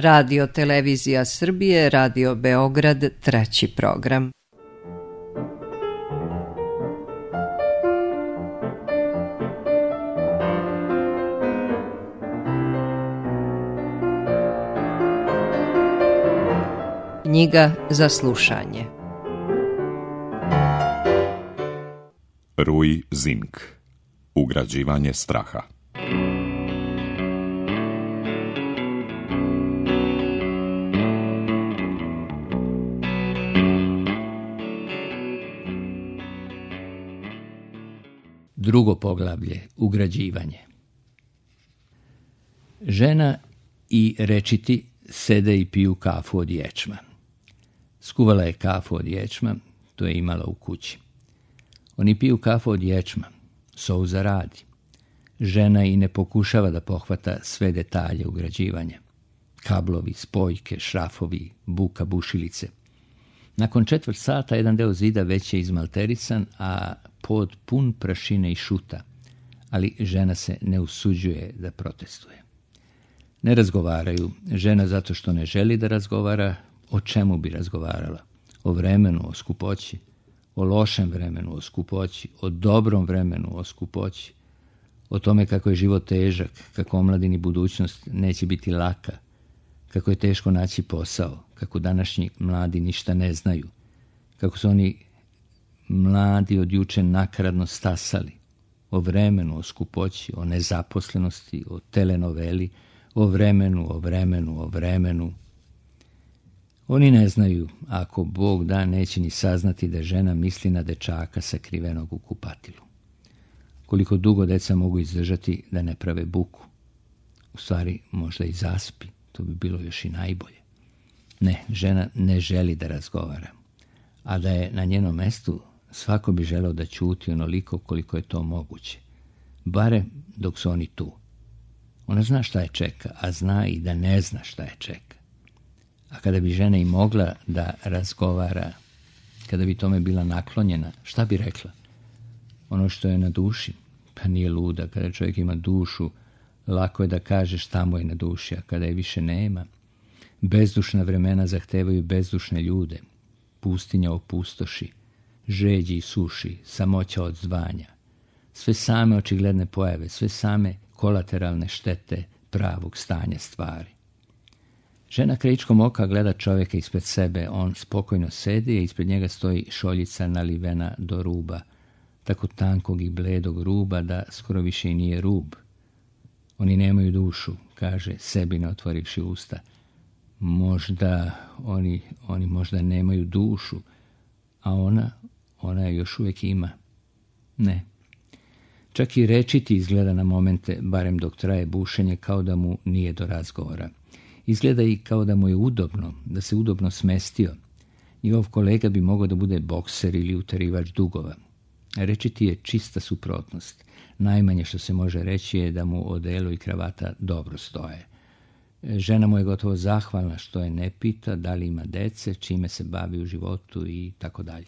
Radio Televizija Srbije, Radio Beograd, 3. program. Knjiga za slušanje. Rui Zink. Ugrađivanje straha. Drugo poglavlje, ugrađivanje. Žena i rečiti sede i piju kafu od ječma. Skuvala je kafu od ječma, to je imala u kući. Oni piju kafu od ječma, Souza radi. Žena i ne pokušava da pohvata sve detalje ugrađivanja. Kablovi, spojke, šrafovi, buka bušilice. Nakon 1/4 sata jedan deo zida već je izmalterisan, a pod pun prašine i šuta, ali žena se ne usuđuje da protestuje. Ne razgovaraju, žena zato što ne želi da razgovara. O čemu bi razgovarala? O vremenu, o skupoći, o lošem vremenu, o skupoći, o dobrom vremenu, o skupoći, o tome kako je život težak, kako omladini budućnost neće biti laka, kako je teško naći posao, kako današnji mladi ništa ne znaju, kako su oni mladi od juče nakaradno stasali, o vremenu, o skupoći, o nezaposlenosti, o telenoveli, o vremenu. Oni ne znaju, ako Bog da, neće ni saznati da žena misli na dečaka sakrivenog u kupatilu. Koliko dugo deca mogu izdržati da ne prave buku. U stvari, možda i zaspi, to bi bilo još i najbolje. Ne, žena ne želi da razgovara. A da je na njenom mestu, svako bi želeo da ćuti onoliko koliko je to moguće. Bare dok su oni tu. Ona zna šta je čeka, a zna i da ne zna šta je čeka. A kada bi žena i mogla da razgovara, kada bi tome bila naklonjena, šta bi rekla? Ono što je na duši, pa nije luda. Kada čovjek ima dušu, lako je da kaže šta mu je na duši, a kada je više nema. Bezdušna vremena zahtevaju bezdušne ljude. Pustinja opustoši, žeđi i suši, samoća od zvanja. Sve same očigledne pojave, sve same kolateralne štete pravog stanja stvari. Žena krajičkom oka gleda čovjeka ispred sebe. On spokojno sedi, a ispred njega stoji šoljica nalivena do ruba, tako tankog i bledog ruba da skoro više i nije rub. Oni nemaju dušu, kaže sebi ne otvorivši usta. Možda oni možda nemaju dušu, a ona je još uvijek ima. Ne. Čak i rečiti izgleda na momente, barem dok traje bušenje, kao da mu nije do razgovora. Izgleda i kao da mu je udobno, da se udobno smestio. Njegov kolega bi mogao da bude bokser ili utarivač dugova. Rečiti je čista suprotnost. Najmanje što se može reći je da mu odelo i kravata dobro stoje. Žena mu je gotovo zahvalna što je ne pita da li ima dece, čime se bavi u životu i tako dalje.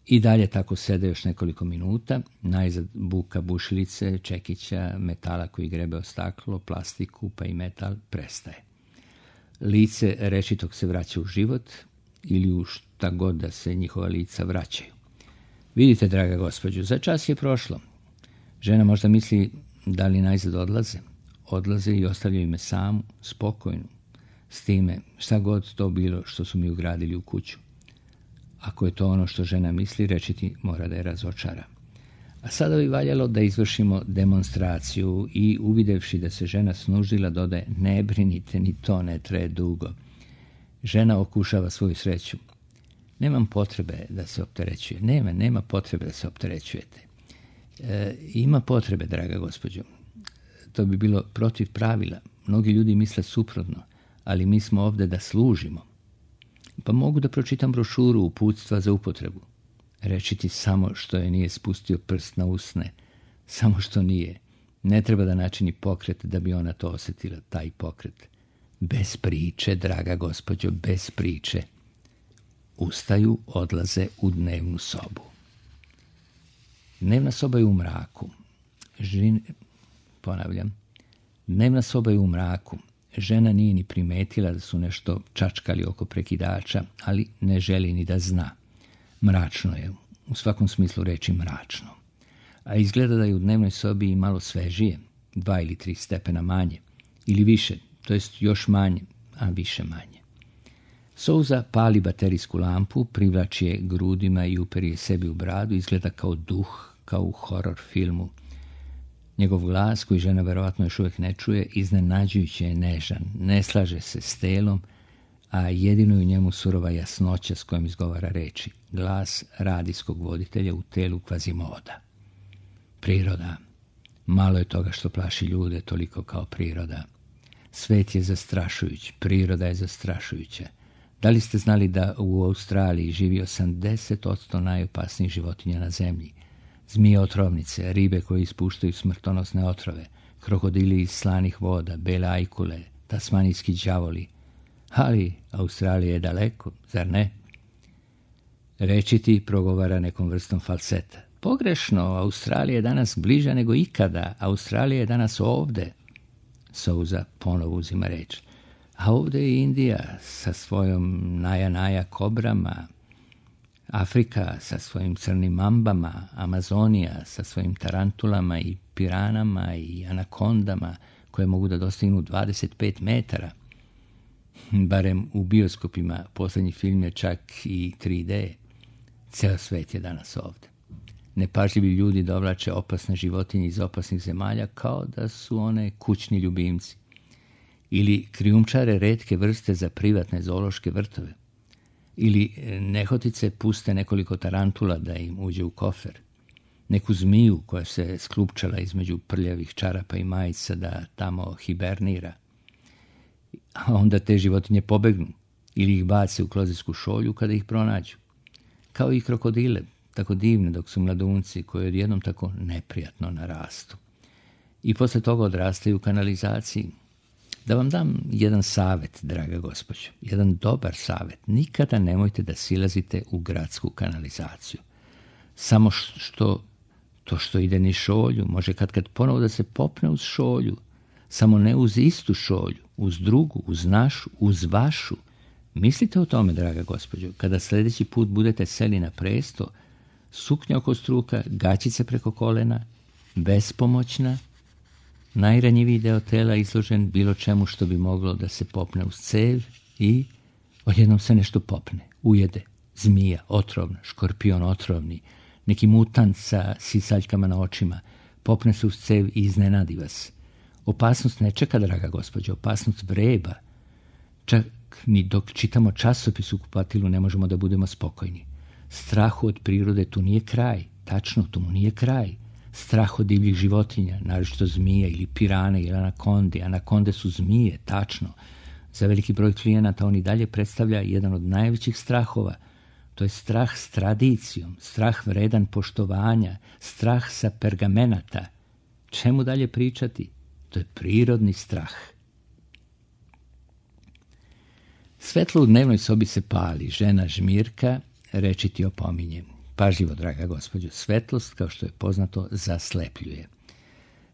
I dalje tako sede još nekoliko minuta, najzad buka bušilice, čekića, metala koji grebe o staklo, plastiku pa i metal prestaje. Lice rečitog se vraća u život ili u šta god da se njihova lica vraćaju. Vidite, draga gospođo, za čas je prošlo. Žena možda misli da li najzad odlaze. Odlaze i ostavljaju me samu, spokojnu, s time šta god to bilo što su mi ugradili u kuću. Ako je to ono što žena misli, rečiti mora da je razočara. A sada bi valjalo da izvršimo demonstraciju i uvidevši da se žena snužila dodaje: ne brinite, ni to ne traje dugo. Žena okušava svoju sreću. Nemam potrebe da se opterećuje. Nema potrebe da se opterećujete. Ima potrebe, draga gospođo. To bi bilo protiv pravila. Mnogi ljudi misle suprotno, ali mi smo ovde da služimo. Pa mogu da pročitam brošuru uputstva za upotrebu. Rečiti samo što je nije spustio prst na usne. Samo što nije. Ne treba da načini pokret da bi ona to osjetila, taj pokret. Bez priče, draga gospođo, bez priče. Ustaju, odlaze u dnevnu sobu. Dnevna soba je u mraku. Dnevna soba je u mraku. žena nije ni primetila da su nešto čačkali oko prekidača, ali ne želi ni da zna. Mračno je, u svakom smislu reči mračno. A izgleda da je u dnevnoj sobi i malo svežije, 2 ili 3 stepena manje, ili više, to jest još manje, a više manje. Souza pali baterijsku lampu, privlači je grudima i uperi je sebi u bradu, izgleda kao duh, kao u horor filmu. Njegov glas, koji žena verovatno još uvijek ne čuje, iznenađujuće je nežan, ne slaže se s telom, a jedino je u njemu surova jasnoća s kojom izgovara reči, glas radijskog voditelja u telu Kvazimoda. Priroda. Malo je toga što plaši ljude toliko kao priroda. Svet je zastrašujuć, priroda je zastrašujuća. Da li ste znali da u Australiji živi 80% najopasnijih životinja na zemlji? Zmije otrovnice, ribe koje ispuštaju smrtonosne otrove, krokodili iz slanih voda, bele ajkule, tasmanijski đavoli. Ali Australija je daleko, zar ne? Rečiti progovara nekom vrstom falseta. Pogrešno, Australija je danas bliža nego ikada. Australija je danas ovde. Souza ponovo uzima reč. A ovde je Indija sa svojom naja kobrama, Afrika sa svojim crnim mambama, Amazonija sa svojim tarantulama i piranama i anakondama koje mogu da dostignu 25 metara. Barem u bioskopima posljednji film je čak i 3D. Ceo svet je danas ovde. Nepažljivi ljudi dovlače opasne životinje iz opasnih zemalja kao da su one kućni ljubimci. Ili krijumčare retke vrste za privatne zoološke vrtove. Ili nehotice puste nekoliko tarantula da im uđe u kofer. Neku zmiju koja se sklupčala između prljavih čarapa i majica da tamo hibernira. A onda te životinje pobegnu ili ih bace u klozetsku šolju kada ih pronađu. Kao i krokodile, tako divne dok su mladunci koji odjednom tako neprijatno narastu. I posle toga odrastaju u kanalizaciji. Da vam dam jedan savjet, draga gospođo, jedan dobar savjet. Nikada nemojte da silazite u gradsku kanalizaciju. Samo što ide niz šolju, može kad ponovo da se popne uz šolju. Samo ne uz istu šolju, uz drugu, uz našu, uz vašu. Mislite o tome, draga gospođo, kada sljedeći put budete seli na presto, suknja oko struka, gaćice preko kolena, bespomoćna, najranjiviji deo tela izložen bilo čemu što bi moglo da se popne uz cev i odjednom se nešto popne, ujede, zmija otrovna, škorpion otrovni, neki mutant sa sisaljkama na očima, popne se uz cev i iznenadi vas. Opasnost ne čeka, draga gospođo, opasnost vreba. Čak ni dok čitamo časopis u kupatilu ne možemo da budemo spokojni. Strahu od prirode tu nije kraj, tačno, tu mu nije kraj. Strah od divljih životinja, naročito zmije ili pirane ili anakonde. Anakonde su zmije, tačno. Za veliki broj klijenata on i dalje predstavlja jedan od najvećih strahova. To je strah s tradicijom, strah vredan poštovanja, strah sa pergamenata. Čemu dalje pričati? To je prirodni strah. Svetlo u dnevnoj sobi se pali, žena žmirka, rečiti opominje. Pažljivo, draga gospođo, svetlost, kao što je poznato, zaslepljuje.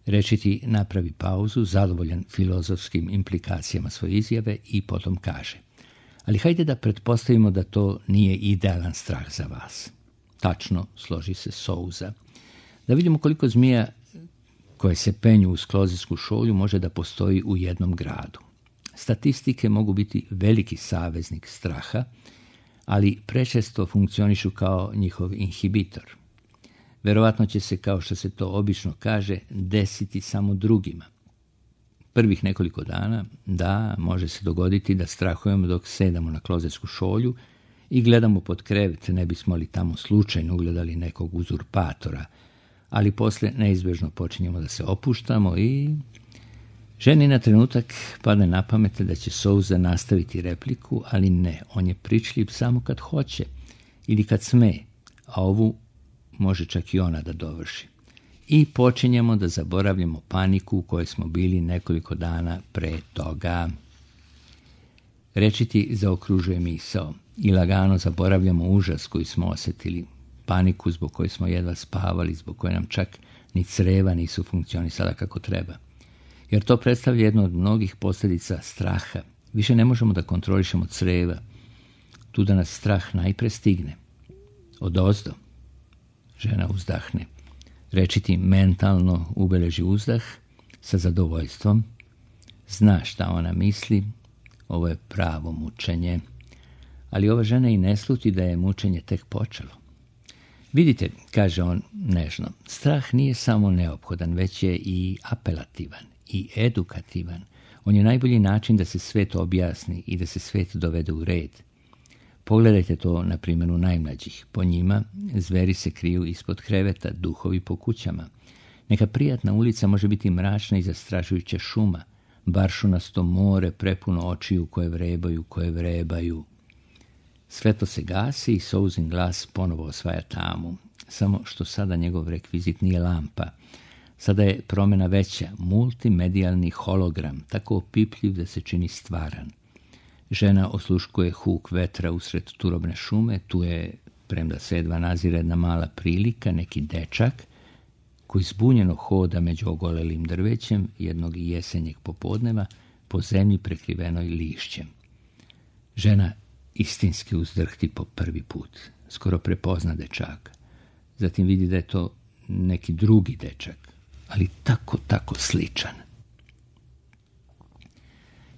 Rečiti napravi pauzu, zadovoljan filozofskim implikacijama svoje izjave i potom kaže. Ali hajde da pretpostavimo da to nije idealan strah za vas. Tačno, složi se Souza. Da vidimo koliko zmija koje se penju uz klozetsku šolju može da postoji u jednom gradu. Statistike mogu biti veliki saveznik straha, ali prečesto funkcionišu kao njihov inhibitor. Verovatno će se, kao što se to obično kaže, desiti samo drugima. Prvih nekoliko dana, da, može se dogoditi da strahujemo dok sedamo na klozetsku šolju i gledamo pod krevet, ne bismo li tamo slučajno ugledali nekog uzurpatora, ali posle neizbežno počinjemo da se opuštamo i ženi na trenutak padne na pamet da će Souza nastaviti repliku, ali ne, on je pričljiv samo kad hoće ili kad sme, a ovu može čak i ona da dovrši. I počinjemo da zaboravljamo paniku u kojoj smo bili nekoliko dana pre toga. Rečiti zaokružuje misao i lagano zaboravljamo užas koji smo osjetili, paniku zbog koje smo jedva spavali, zbog koje nam čak ni creva nisu funkcionisala kako treba. jer to predstavlja jednu od mnogih posljedica straha. Više ne možemo da kontrolišemo creva. Tu da nas strah najpre stigne. Odozdo. Žena uzdahne. Rečiti mentalno ubeleži uzdah sa zadovoljstvom. Zna šta ona misli. Ovo je pravo mučenje. Ali ova žena i ne sluti da je mučenje tek počelo. Vidite, kaže on nežno, strah nije samo neophodan, već je i apelativan i edukativan. On je najbolji način da se svet objasni i da se svet dovede u red. Pogledajte to na primjeru najmlađih. Po njima zveri se kriju ispod kreveta, duhovi po kućama. Neka prijatna ulica može biti mračna i zastrašujuća šuma, baršunasto more prepuno očiju koje vrebaju. Svetlo se gasi i Souzin glas ponovo osvaja tamu. Samo što sada njegov rekvizit nije lampa. Sada je promjena veća, multimedijalni hologram, tako opipljiv da se čini stvaran. Žena osluškuje huk vetra usred turobne šume, tu je, premda se jedva nazire jedna mala prilika, neki dečak koji zbunjeno hoda među ogolelim drvećem jednog jesenjeg popodneva po zemlji prekrivenoj lišćem. Žena istinski uzdrhti po prvi put, skoro prepozna dečaka. Zatim vidi da je to neki drugi dečak, ali tako sličan.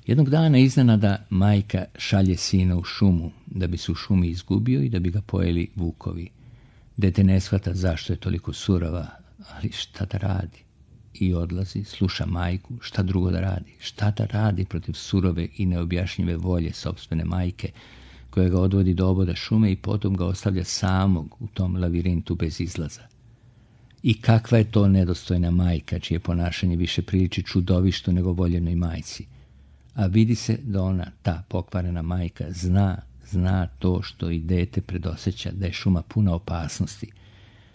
Jednog dana iznenada majka šalje sina u šumu, da bi se u šumi izgubio i da bi ga pojeli vukovi. Dete ne shvata zašto je toliko surova, ali šta da radi? I odlazi, sluša majku, šta drugo da radi? Šta da radi protiv surove i neobjašnjive volje sopstvene majke, koja ga odvodi do oboda šume i potom ga ostavlja samog u tom lavirintu bez izlaza. I kakva je to nedostojna majka, čije ponašanje više priliči čudovištu nego voljenoj majci. A vidi se da ona, ta pokvarena majka, zna to što i dete predosjeća, da je šuma puna opasnosti.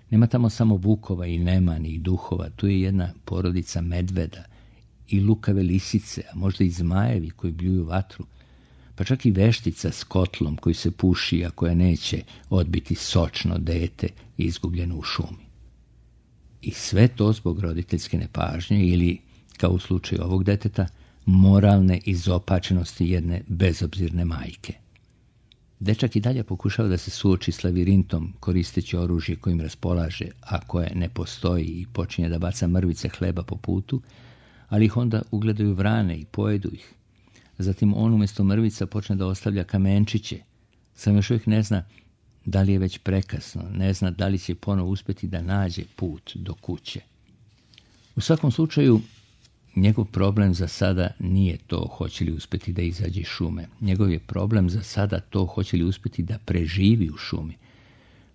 Nema tamo samo vukova i nemani i duhova, tu je jedna porodica medveda i lukave lisice, a možda i zmajevi koji bljuju vatru, pa čak i veštica s kotlom koji se puši, a koja neće odbiti sočno dete izgubljeno u šumi. I sve to zbog roditeljske nepažnje ili, kao u slučaju ovog deteta, moralne izopačenosti jedne bezobzirne majke. Dečak i dalje pokušava da se suoči s lavirintom koristeći oružje kojim raspolaže, a koje ne postoji, i počinje da baca mrvice hleba po putu, ali ih onda ugledaju vrane i pojedu ih. Zatim on umjesto mrvica počne da ostavlja kamenčiće. Sam još uvijek ne zna da li je već prekasno, ne zna da li će ponovo uspjeti da nađe put do kuće. U svakom slučaju, njegov problem za sada nije to hoće li uspjeti da izađe iz šume. Njegov je problem za sada to hoće li uspjeti da preživi u šumi.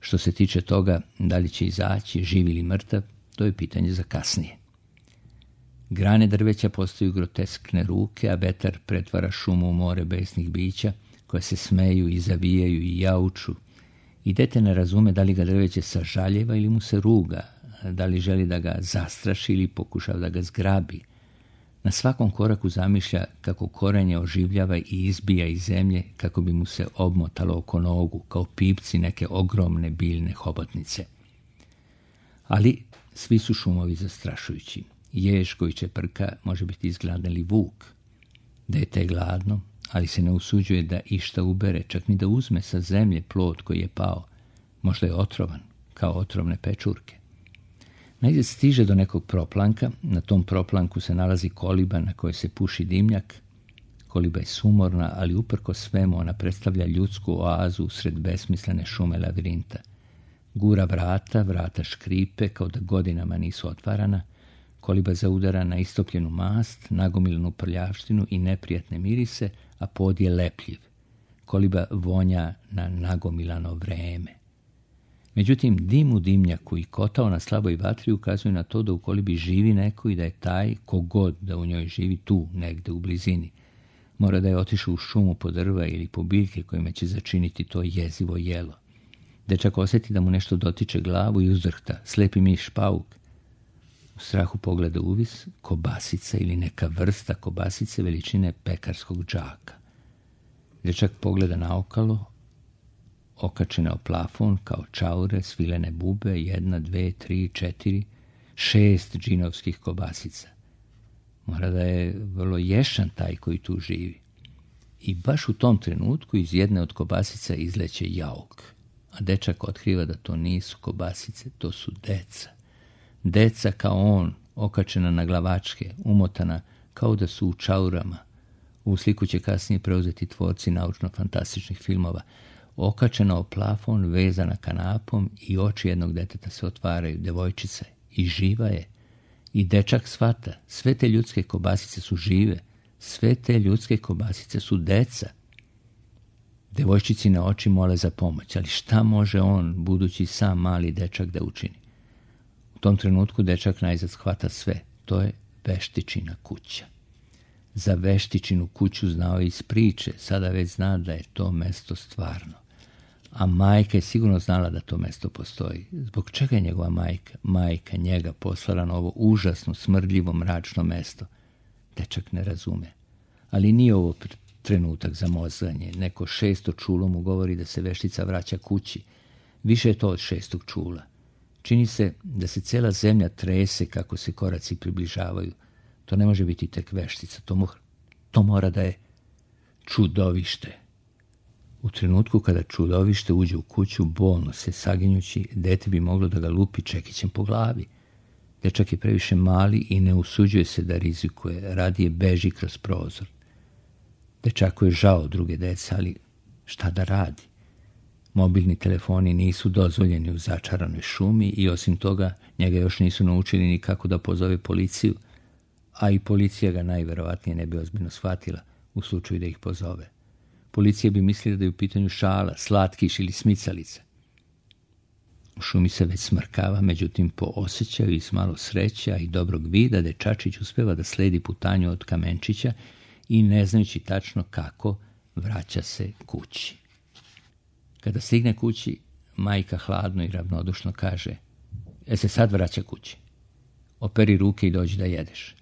Što se tiče toga da li će izaći živ ili mrtav, to je pitanje za kasnije. Grane drveća postaju groteskne ruke, a vetar pretvara šumu u more besnih bića koje se smeju i zavijaju i jauču. I dete ne razume da li ga drveće sažaljeva ili mu se ruga, da li želi da ga zastraši ili pokušava da ga zgrabi. Na svakom koraku zamišlja kako korenje oživljava i izbija iz zemlje kako bi mu se obmotalo oko nogu, kao pipci neke ogromne biljne hobotnice. Ali svi su šumovi zastrašujući. Jež koji čeprka može biti izgladan ili vuk. Dete je gladno, ali se ne usuđuje da išta ubere, čak ni da uzme sa zemlje plod koji je pao. Možda je otrovan, kao otrovne pečurke. Najzad stiže do nekog proplanka, na tom proplanku se nalazi koliba na kojoj se puši dimnjak. Koliba je sumorna, ali uprko svemu ona predstavlja ljudsku oazu usred besmislene šume lavirinta. Gura vrata škripe kao da godinama nisu otvarana, koliba zaudara na istopljenu mast, nagomilnu prljavštinu i neprijatne mirise, a pod je lepljiv. Koliba vonja na nagomilano vreme. Međutim, dim u dimnjaku i kotao na slaboj vatri ukazuju na to da u kolibi živi neko i da je taj, kogod da u njoj živi, tu, negde u blizini. Mora da je otišao u šumu po drva ili po biljke kojima će začiniti to jezivo jelo. Dečak osjeti da mu nešto dotiče glavu i uzdrhta, slepi miš pauk. U strahu pogleda uvis, kobasica ili neka vrsta kobasice veličine pekarskog džaka. Dečak pogleda naokalo, okačene o plafon kao čaure, svilene bube, 1, 2, 3, 4, 6 džinovskih kobasica. Mora da je vrlo ješan taj koji tu živi. I baš u tom trenutku iz jedne od kobasica izleće jauk. A dečak otkriva da to nisu kobasice, to su deca. Deca kao on, okačena na glavačke, umotana kao da su u čaurama. U sliku će kasnije preuzeti tvorci naučno-fantastičnih filmova. Okačena o plafon, vezana kanapom i oči jednog deteta se otvaraju. Devojčica je i živa je. I dečak shvata, sve te ljudske kobasice su žive. Sve te ljudske kobasice su deca. Devojčicine oči mole za pomoć, ali šta može on, budući sam mali dečak, da učini? U tom trenutku dečak najzad shvata sve. To je Veštičina kuća. Za Veštičinu kuću znao iz priče, sada već zna da je to mesto stvarno. A majka je sigurno znala da to mesto postoji. Zbog čega je njegova majka njega poslala na ovo užasno, smrdljivo, mračno mesto? Dečak ne razume. Ali nije ovo trenutak za mozganje. Neko 6. čulo mu govori da se Veštica vraća kući. Više je to od 6. čula. Čini se da se cela zemlja trese kako se koraci približavaju. To ne može biti tek Veštica. To mora da je čudovište. U trenutku kada čudovište uđe u kuću, bolno se saginjući, dete bi moglo da ga lupi čekićem po glavi. Dečak je previše mali i ne usuđuje se da rizikuje, radije beži kroz prozor. Dečaku je žao druge dece, ali šta da radi? Mobilni telefoni nisu dozvoljeni u začaranoj šumi i osim toga njega još nisu naučili ni kako da pozove policiju, a i policija ga najverovatnije ne bi ozbiljno shvatila u slučaju da ih pozove. Policija bi mislila da je u pitanju šala, slatkiš ili smicalica. U šumi se već smrkava, međutim po osjećaju i s malo sreća i dobrog vida dečačić uspeva da sledi putanju od kamenčića i ne znajući tačno kako vraća se kući. Kada stigne kući, majka hladno i ravnodušno kaže: se sad vraća kući. Operi ruke i dođi da jedeš.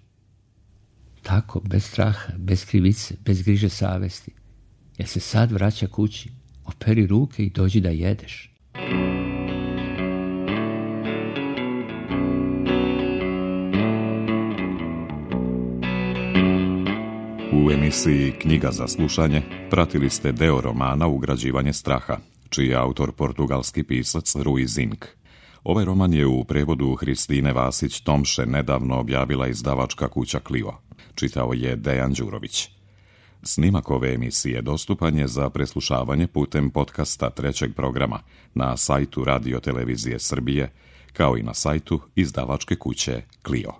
Tako, bez straha, bez krivice, bez griže savesti. Se sad vraća kući. Operi ruke i dođi da jedeš. U emisiji Knjiga za slušanje pratili ste deo romana Ugrađivanje straha, čiji je autor portugalski pisac Rui Zinck. Ovaj roman je u prevodu Hristine Vasić-Tomše nedavno objavila izdavačka kuća Clio. Čitao je Dejan Đurović. Snimak ove emisije dostupan je za preslušavanje putem podcasta 3. programa na sajtu Radio Televizije Srbije, kao i na sajtu izdavačke kuće Clio.